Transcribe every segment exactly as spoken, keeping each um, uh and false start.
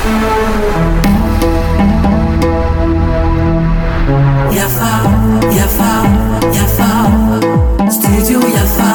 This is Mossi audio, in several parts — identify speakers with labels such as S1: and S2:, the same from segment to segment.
S1: Yafa, Yafa, Yafa, Studio Yafa.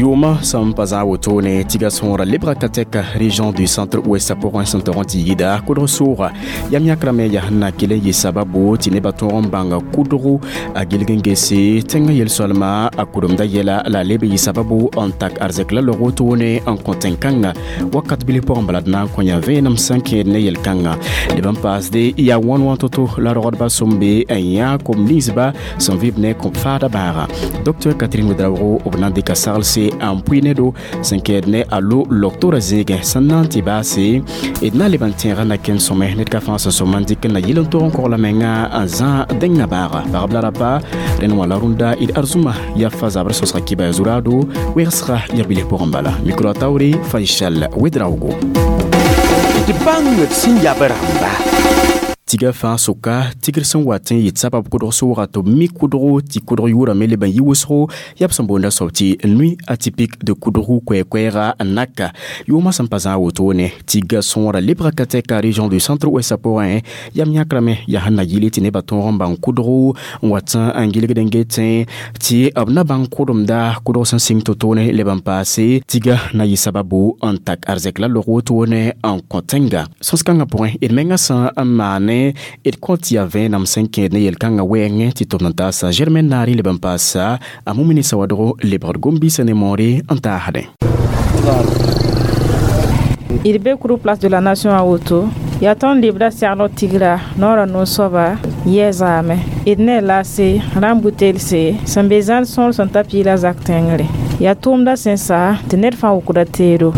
S2: Yʋʋmã sẽn pa zã wotone tɩ ga sõora lebga ka tɛka région du Centre Ouest pʋgẽ sẽn tog n tɩ yida kʋdg sʋʋga yam yãkrame yaa sẽn na kell n yɩ sababu tɩ nebã tõog n bãnga kʋdgo a gilg n gese tẽngã yel-soalma a kʋremda yɛla la a leb n yɩ sababu n tak arzɛk la log wotone n kõ tẽn-kãngã wakat bilf pʋgẽ bala d na n kõ yã vẽenem sẽn kẽed ne yel-kãngã leb n paasde yaa wãn wã to-to la rogdbã sõmbe n yã kom ninsba sẽn vɩb ne kõb faada baaga. Docteur Catherine Ouedraogo b na n dɩka saglse n pʋɩ ne do sẽn kɛɛd ne a lo loktora zẽegẽ sẽn na n tɩ baase d na leb n tẽegã na ken sõme ned ka fãa sẽn sõma n dɩk n na yɩl n tog n kogla menga n zã dẽngã baaga pagb la rapa rẽnd wã la rũnda d arzũma yaa fa zabr sõsga kɩba zuraado wegsga yaa bilf pʋgẽ bala micro a taoore Faisal Ouedraogo.
S3: D bãng d sẽn yab rãmba.
S2: Tiga fãa sʋka tigr sẽn wat n yɩ sabab kʋdg sʋʋga tɩ b mi kʋdgo tɩ kʋdg yʋʋrame leb n yɩ wʋsgo yaa b sẽn boonda soab tɩ Nuit atypique de Koudougou koɛɛ-koɛɛga n naka yʋʋmã sẽn pa zã wotone tiga sõora lebga ka tɛka région du Centre Ouest pʋgẽ yam yãkrame yaa sẽn na yɩle tɩ nebã tõog n bãng kʋdgo n wat n gilgd n getẽ tɩ b na bãng kʋdemda kʋdg sẽn sɩng to-toone leb n paase tiga na yɩ sababu n tak arzɛk la log wotone n kõ tẽnga sõs-kãngã pʋgẽ d menga sẽn n maane d kõ tɩ yaa vẽenam sẽn kẽed ne yel-kãngã wɛɛngẽ tɩ tʋm n taasa Germaine Naare leb n paasa a Mumini Sawadogo lebgd gom-biisã ne moore n taasdẽ.
S4: D be kuru Place de la Nation a woto yaa tõnd lebda segl tigra noorã no-soaba yɛ zaame d ne lase rãmb butelse sẽn be zãn sõor sẽn ta piila zak tẽngre yaa tʋʋmda sẽn sa tɩ ned fãa wʋkda teedo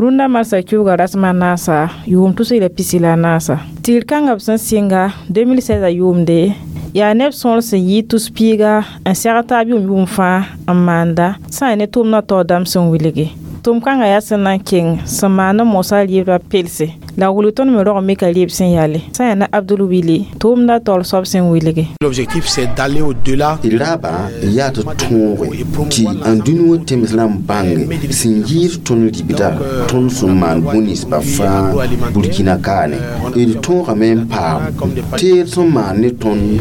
S4: rũndã marsã kiuuga rasem a naasa yʋʋm tus la pisi la a naasa tigr kãngã b sẽn sɩnga deux mille seize a yʋʋmde yaa neb sõor sẽn yɩ tus piiga n sɛg taab yʋʋm yʋʋm fãa n maanda sã n ne tʋʋmdã taoor dãmb sẽn wilgi tʋʋm kãngã yaa sẽn na n keng sẽn maan n mosã rɩɩbã pelse la wilg tõnd me rog mika rɩɩb sẽn yale sã yaa na Abdul Wili tʋʋmdã taoor soab sẽn wilge.
S5: L'objectif, c'est d'aller au-delà.
S6: D raaba yaa tɩ tõoge tɩ n dũni wã tems rãmb bãnge sẽn yɩɩd tõnd ribda tõnd sẽn maan bũ-ninsbã fãa Burkina kaane d tõogame n paam teed sẽn maan ne tõnd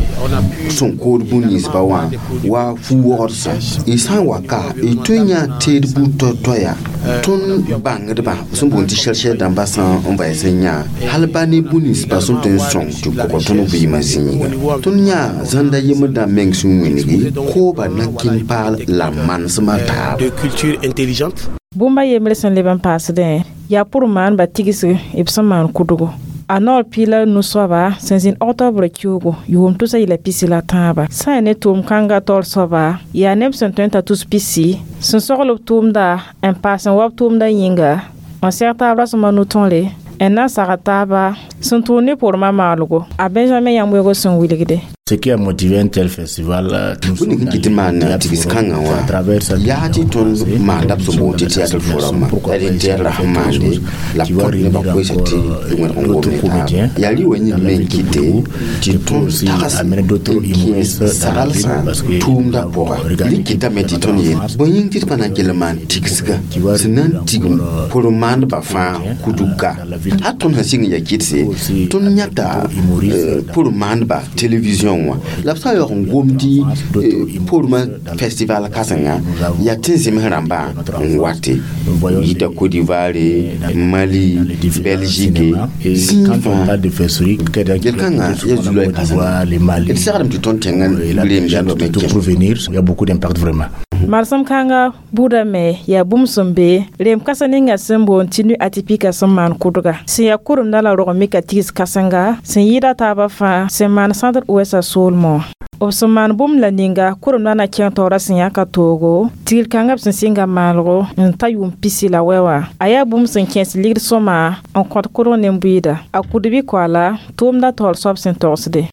S6: sẽn kood bũ-ninsbã wã wa fu-wogdsã y sã n wa ka y tõe n yã teed buud toay-toaya tõnd bãngdbã sẽn boond tɩ chercheur dãmbã sã n vɛɛs n yã hal ba ne bũ-ninsbã sẽn tõe n sõng tɩ kog tõnd vɩɩmã zĩiga tõnd yã zãnda yembr dãmb meng sẽn wĩngi kooba nakin paal la manesmã taab.
S5: De culture intelligente.
S4: Bũmba yembre sẽn leb n paasdẽ yaa pʋr maanba tigsg b sẽn maan kʋdgo a noor piila nu-soaba sẽn zĩnd octobre kiuugo yʋʋm tʋsa yɩla pisi la tãaba sã yaa ne tʋʋm kãngã taoor soaba yaa neb sẽn tõe n ta tus pisi sẽn sogl b tʋʋmda n paas n wa b tʋʋmda yĩnga n sɛg taab rasẽma nu-tõre n na n sagd taaba sẽn tʋʋm ne pormã maalgo a Benjamin yãmb sẽn wilgde.
S7: Ce qui a motivé un tel festival,
S6: bũmb ning n kɩt tɩ maan tigs kãngã wã yaa tɩ tõnd maanda b sẽn boond tɩ théâtre forumã la d tɛɛd ra sẽn maande la b kõt nebã koɛɛsa tɩ wẽrg n gom ne taaba yaa rɩ wa yĩng me n kɩte tɩ tõnd tags n kẽes saglsã tʋʋmdã pʋga d kɩtame tɩ tõnd yeel bõe yĩng tɩ d pa na n kell n maan tigsga sẽn na n tigm pʋr maandbã fãa kuduka hal tõnd sẽn sɩng n ya kɩdse tõnd yãta pʋr maandba télévision wã la b sã n yaoog n gom tɩ pormã festival kãsenga yaa tɩ n zems rãmbã n wate yita Côte d'Ivoire, Mali, Belgique zĩig fãa yel-kãngã yaa zulã kãsenga d segrame tɩ tõnd tẽngã reem zãndame.
S7: Pour venir, il y a beaucoup d'impact vraiment.
S4: Marsem kãnga buudã me yaa bũmb sẽn be reem kãseng ninga sẽn boond tɩ Nuit atypique sẽn maan kʋdga sẽn yaa kʋremdã la rog mika tigs kãsenga sẽn yɩɩda taabã fãa sẽn maan Centre Ouest soolmẽ wã b sẽn maan bũmb la ninga kʋremdã na kẽng taoorã sẽn yãka toogo tigr kãngã b sẽn sɩnga maalgo n ta yʋʋm pisi la wɛ wã a yaa bũmb sẽn kẽes ligd sõma n kõt kʋdg ne bʋɩɩda a kʋdbɩ koala tʋʋmdã taoor soab sẽn togsde.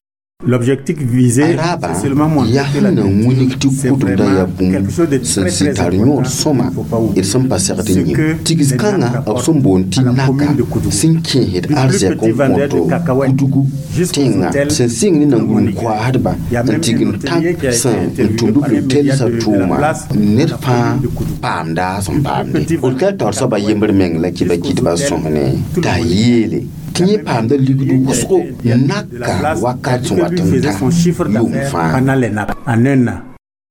S8: L'objectif visé, c'est seulement montrer que la
S6: na wĩnig tɩ
S8: c'est
S6: kʋdemda yaa
S8: vraiment
S6: bũmb
S8: quelque chose de
S6: sẽn
S8: très
S6: sɩd
S8: très
S6: tar yõod
S8: important.
S6: sõma
S8: Il faut pas
S6: d
S8: oublier.
S6: sẽn pa segd
S8: Ce
S6: n yẽ
S8: que
S6: tigs
S8: les
S6: kãngã
S8: nappes
S6: b sẽn boond tɩ
S8: à la
S6: naka
S8: commune de Koudougou.
S6: sẽn kẽesd
S8: Du plus
S6: arzɛk
S8: petit
S6: n
S8: vendeur de
S6: kõto
S8: cacahuètes
S6: kudugu
S8: jusqu'aux
S6: tẽnga
S8: hôtels
S6: sẽn sɩng ne
S8: non
S6: nan-gũud
S8: moniques.
S6: koaasdba
S8: Il y a
S6: n
S8: même
S6: tigim
S8: un hôtelier
S6: tãk
S8: qui a été
S6: sẽn n
S8: interviewé
S6: tʋmd
S8: par un média
S6: lotɛlsã
S8: de, de la
S6: tʋʋma
S8: place
S6: ned
S8: de la
S6: fãa
S8: commune de Koudougou.
S6: paamda sẽn paamde
S8: Petit
S6: hôtel taoor soaba yembr meng la kɩ ba kɩtba sõsne t'a yeele tɩ yẽ paamda ligd wʋsgo naka wakat sẽn wat
S8: Lui
S6: n
S8: faisait
S6: ta
S8: son chiffre
S6: yʋʋm
S8: d'affaires
S6: fãa
S8: pendant les nappes, en un an.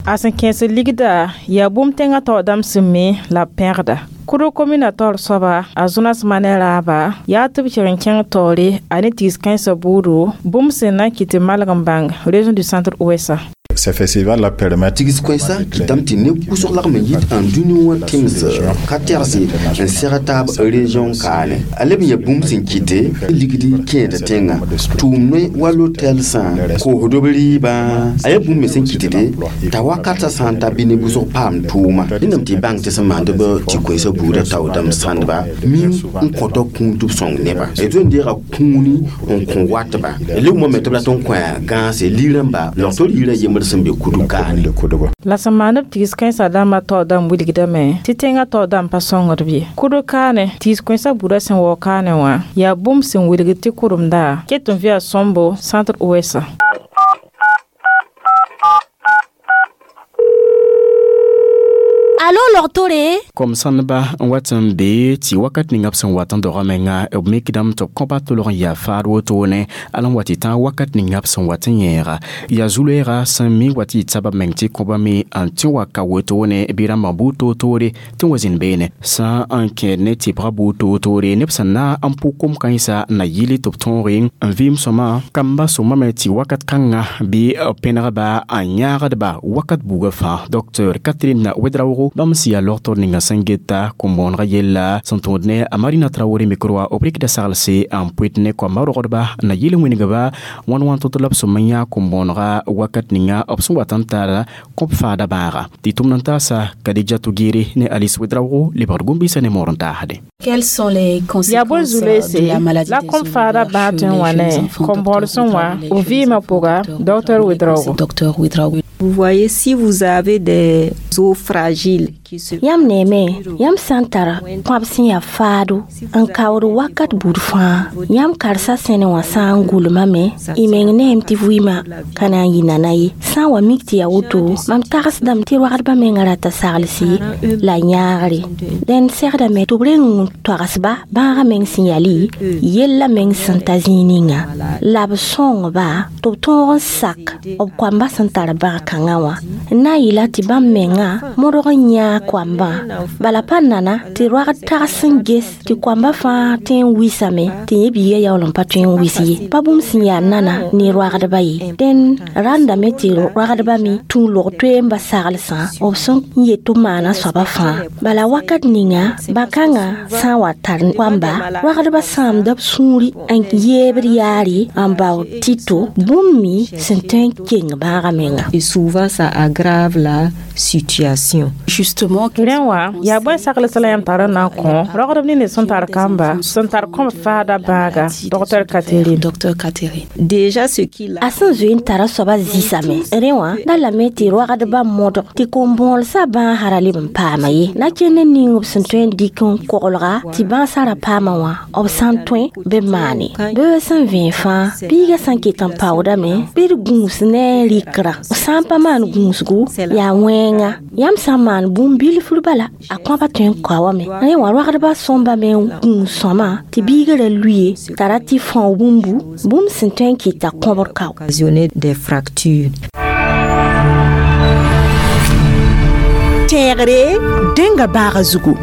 S4: A sẽn kẽes ligda yaa bũmb tẽngã taoor dãmb sẽn me la b pẽgda Kʋdg komina taoor soaba a Jonas Manɛ raaba yaa tɩ b keg n kẽng taoore a ne tigs kãensã buudu bũmb sẽn na n kɩt tɩ malg n bãng région du centre ouest.
S7: Ces festivals-là permettent
S6: tigs koɛɛsã kɩtame tɩ neb wʋsg lagm n yit n dũni wã tẽms ka tɛgse n seg taab région kaane a leb n yaa bũmb sẽn kɩte ligd kẽeda tẽnga tʋʋm ne wa lotɛlsã koosd b rɩɩbã a yaa bũmb me sẽn kɩtde t'a wakatã sã n ta bɩ neb wʋsg paam tʋʋma rẽndame tɩ y bãng tɩ sẽn maand b tɩ koɛɛsã buudã tao dãmb sãndba mim n kõta kũun tɩ b sõng neba d zoe n deega kũuni n kõ watba leb moame tɩ b rat n kõ gãase liirãmba logtor yirã yembr sẽn be kudug kaane
S7: de Koudougou.
S4: La sẽn maan b tigs kãensã dãmbã taoor dãmb wilgdame tɩ tẽngã taoor dãmb pa sõngd b ye kʋdg kaane tigs kõensã buudã sẽn waoog kaane wã yaa bũmb sẽn wilgd tɩ kʋremda ket n vɩa sõmbo centre ouest.
S9: Alo logtore
S2: Kom sãndba n wat n be tɩ wakat ninga b sẽn wat n doga menga b mikdame tɩ b kõba tolg n yaa faad wotone al n wa tɩ tãag wakat ninga b sẽn wat n yẽega yaa zu-loeega sẽn mi wa tɩ y tsaba meng tɩ kõba me n tẽ wa ka wotone bɩ rãmbã buud toor-toore tɩ n wa zĩnd beene sã n kẽed ne tɩbga buud toor-toore neb sẽn na n pʋ kom-kãensã na yɩl tɩ b tõoge n vɩɩm sõma kamba sõmame tɩ wakat kãnga bɩ b pẽnegba n yãagdba wakat buugã fãa docteur Catherine Ouedraogo bãmb sẽn yaa logtor ninga sẽn geta kom-bõonegã yella sẽn tõod ne a Marina Traoré microa b rɩkda saglse n pʋɩt ne koamba rogdba na yɩl wĩnigba wãn wãn tʋt la b sõm n yã kom-bõonegã wakat ninga b sẽn wat n tar kõb faada bãaga tɩ tʋmd n taasa Kadija Tugere ne Alice Ouedraogo lebgd gũm-biisã ne moor n taasde.
S10: Quelles sont les
S4: yaa bõe
S10: conséquences
S4: zu-loeese
S10: de la maladie
S4: la
S10: des
S4: kõb faada
S10: os
S4: bãag
S10: chez
S4: tõe n
S10: les
S4: wa
S10: jeunes
S4: ne
S10: enfants,
S4: kom-bõod
S10: docteur
S4: sẽn wã
S10: Ouedraogo,
S4: b vɩɩmã pʋga docteur Ouedraogo?
S10: Docteur Ouedraogo.
S11: Vous voyez, si vous avez des os fragiles qui se
S9: yãmb neeme yãmb sã n tar kõab sẽn yaa faado n kaood wakat buud fãa yãmb karsa sẽne wã sã n gʋlmame y meng neem tɩ vɩɩmã ka na n yɩ nana ye sã n wa mik tɩ yaa woto mam tagsdame tɩ rogdbã mengã rata saglsi la yãagre dẽnd segdame tɩ b reng n toagsba bãagã meng sẽn yali yella meng sẽn ta zĩig ninga la b sõngba tɩ b tõog n sak b koamba sẽn tar bãag kãngã wã n na n yɩla tɩ bãmb menga modg n yãag koambã bala pa nana tɩ roagd tags sẽn ges tɩ koamba fãa tõe n wisame tɩ yẽ biiga yaool n pa tõe n wis ye pa bũmb sẽn yaa nana ne roagdba ye dẽnd rãndame tɩ roagdba me tũ log toee n ba saglsã b sẽn yet tɩ b maana soaba fãa bala wakat ninga bã-kãngã sã n wa tar koamba roagdba sãamda b sũuri n yeebd yaare n bao tɩ-to bũmb me sẽn tõe n keng bãagã menga.
S11: Et souvent, ça aggrave la situation.
S10: Justement,
S4: Rẽ wã yaa bõe sagls la yãmb tar n na n kõ rogdb nins sẽn tar kamba sẽn tar kõb faada bãaga docteur Catherine?
S10: Docteur Catherine.
S11: Déjà, ce qu'il
S9: A sẽn zoe n tara soaba zĩsame rẽ wã da lame tɩ rogdbã modg tɩ kom-bõolsã bãasã ra leb n paama ye na kell n ning b sẽn tõe n dɩk n koglga tɩ bãasã ra paama wã b sã n tõe bɩ b maane bɩ sẽn vẽe fãa biigã sã n ket n paoodame bɩ d gũus ne rɩkrã sã n pa maan gũusgu yaa wẽnga yãmb sã n maan bũmb bilfr bala a kõaba tõe n kaoame rẽ wã rogdbã sõmba me n gũus sõma tɩ biigã ra luye t'a ra tɩ fão bũmbu bũmb sẽn tõe n kɩta kõbr kao.
S11: Occasionner des fractures.
S12: Tẽegre dẽnga baaga zugu.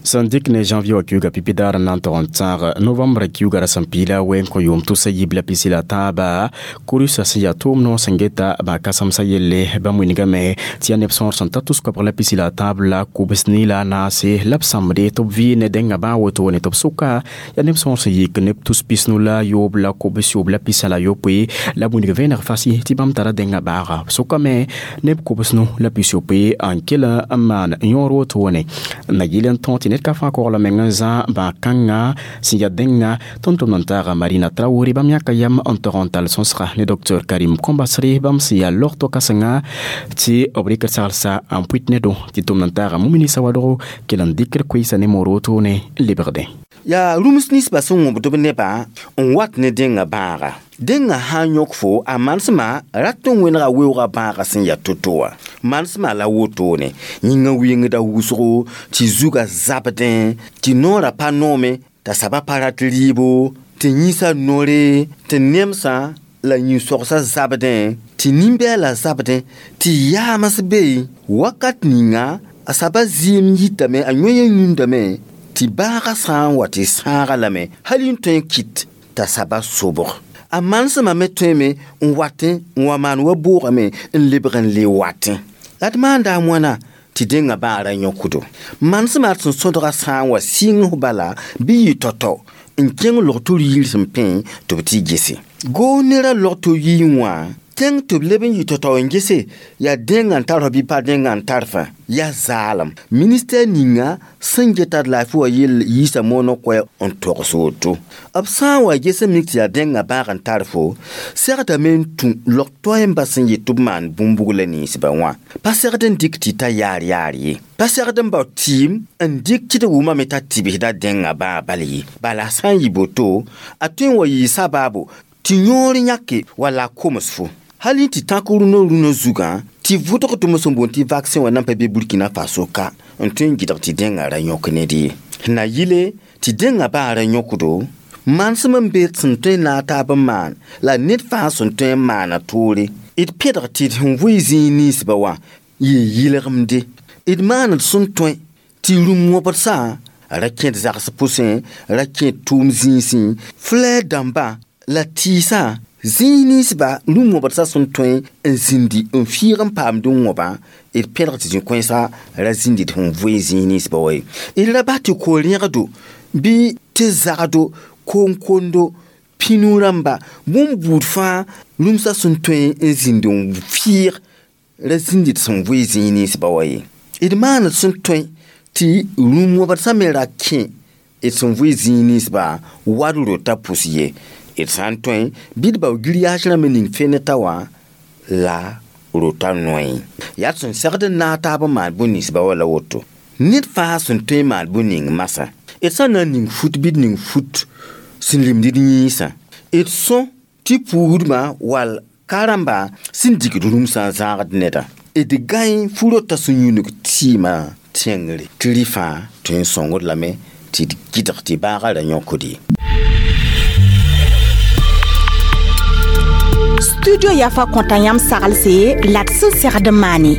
S2: Sẽn dɩk ne janvier wã kiuga pipi daar n na n tog n tãag novembre kiuga ra sẽn piila wɛ n kõ yʋʋm tʋsa yib la pisi la tãaba kurusa sẽn yaa tʋʋm noor sẽn geta bã kasemsã yelle bãmb wingame tɩ yaa neb sõor sẽn ta tʋs-koabg la pisi la tãab la kʋbs ne la a naase la b sãmbde tɩ b vɩ ne dẽnga bãag wotone tɩ b sʋka yaa neb sõor sẽn yik neb tus pisnu la yoob la kʋbs yoob la pisa la yopoe la b wing vẽeneg fasɩ tɩ bãmb tara dẽnga baaga b sʋkame neb kʋbsnu la pis yopoe n kell n maan yõor wotone na yɩl n tõog tɩ ned ned ka fãa kogla meng n zã bã-kãngã sẽn yaa dẽnga tõnd tʋmd n taaga Marina Traoré bãmb yãka yam n tog n tall sõsga ne docteur Karim Kombasre bãmb sẽn yaa logto kãsenga tɩ b rɩk saglsa n pʋɩt ne do tɩ tʋmd n taaga Mumini Sawadogo kell n dɩkd koeesa ne moor wotone n lebgdẽ.
S6: Yaa rũms ninsbã sẽn wõbd b nebã n wat ne dẽngã bãaga. Dẽngã sã n yõk fo a manesmã rat n wẽnega weoogã bãagã sẽn yaa to-to wã. Manesmã la wotone yĩngã wɩngda wʋsgo tɩ zugã zabdẽ tɩ noorã pa noome t'a saba pa rat rɩɩbo tɩ yĩsã nore tɩ nemsã la yĩn-sogsã zabdẽ tɩ nin-bɛɛlã zabdẽ tɩ yaams be wakat ninga a saba zɩɩm yitame a yõ yũndame tɩ bãagã sã n wa tɩ sãaga lame hal n tõe n kɩt t'a saba sobg. A manesmã me tõeme n watẽ n wa maan wa boogame n lebg n le watẽ. La d maanda a wãna tɩ dẽngã bãag ra yõkdo. Manesmã sẽn sõdga sã n wa sɩng bala bɩ yɩ tao-tao n kẽng log-tʋr yir sẽn pẽ tɩ b tɩ gese. Goog nera log-tʋr yir wã tẽng tɩ b leb n yɩ tao-tao n gese yaa dẽngã n tar f bɩ pa dẽngã n tar fã yaa zaalem. Ministɛr ninga sẽn geta d laafɩ wã yell yiisa mooneg koɛɛ n togs woto. B sã n wa ges n mik tɩ yaa dẽngã bãag n tar fo, segdame n tũ log-toɛɛmbã sẽn yet tɩ b maan bũmb-bugla ninsbã wã. Pa segd n dɩk tɩ ta yaar yaar ye. Pa segd n bao tɩɩm n dɩk tɩ d wʋmame t'a tɩbsda dẽngã bãag bal ye. Bala sã n yɩ boto, a tõe n wa yɩɩ sabaabo tɩ yõor yãke wala a koms fo. Hal tɩ tãk rũnã rũnã zugã tɩ vʋdg tʋm sẽn boond tɩ vaccin wã nan pa be Burkina Faso ka n tõe n gɩdg tɩ dẽngã ra yõk ned ye. Na yɩle tɩ dẽngã bãag ra yõkdo, manesem n be sẽn tõe n naag taab n maan la ned fãa sẽn tõe n maana toore. D pẽdg tɩ d sẽn vʋɩ zĩig ninsbã wã yɩ yɩlgemde. D maand sẽn tõe tɩ rũm wõbdsã ra kẽd zags pʋsẽ, ra kẽd tʋʋm zĩisẽ, flɛɛr dãmbã la tɩɩsã zĩig ninsba rũm wõbdsã sẽn tõe n zĩndi n fiig n paamd n wõbã d pẽdg tɩ zĩ-kõensã ra zĩndi d sẽn vʋɩ zĩig ninsbã wa ye. D ra bas tɩ ko-rẽgdo bɩ tɩ zagdo koŋkondo pĩnu rãmba bũmb buud fãa rũmsã sẽn tõe n zĩnd n fiig ra zĩndi d sẽn vʋɩ zĩig ninsbã wa ye. D maand sẽn tõe tɩ rũm wõbdsã me ra kẽ d sẽn vʋɩ zĩig ninsbã wad rota pʋs ye. D sã n tõe bɩ d bao giriyaas rãmb ning fene ta wã la rota noe. Yaa d sẽn segd n naag taab n maan bũn-ninsbã wa la woto. Ned fãa sẽn tõe n maan bũn-ning masã. D sã n na n ning fut bɩ d ning fut sẽn lemd d yĩnsã. D sõ tɩ puusdmã wall ka-rãmba sẽn digd rũmsã n zãagd neda. D gãe fu-rotã sẽn yũnug tɩɩmã tẽngre tɩ rɩ fãa tõe n sõngd lame tɩ d gɩdg tɩ bãagã ra yõkd ye.
S12: Studio Yafa kõta yãmb saglse la d sẽn segd n maane.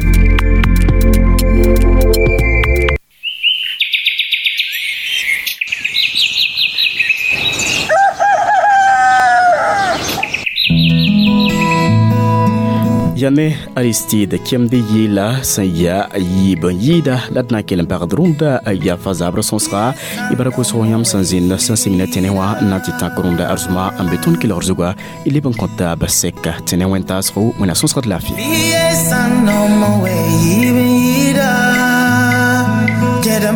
S2: Yane Aristide kemde yɩɩla sẽn yaa yiib n yɩɩda la d na n kell n pagd rũndã yafa zabr sõsga y bara kosg yãmb sẽn zĩnd sẽn sɩng ne tẽne wã n na n tɩ tãk rũndã arzũma n be tõnd kelgr zugã y leb n kõ taab sɛka tẽne wẽn-taasgo wẽna sõsgd laafɩ.
S1: Kẽdã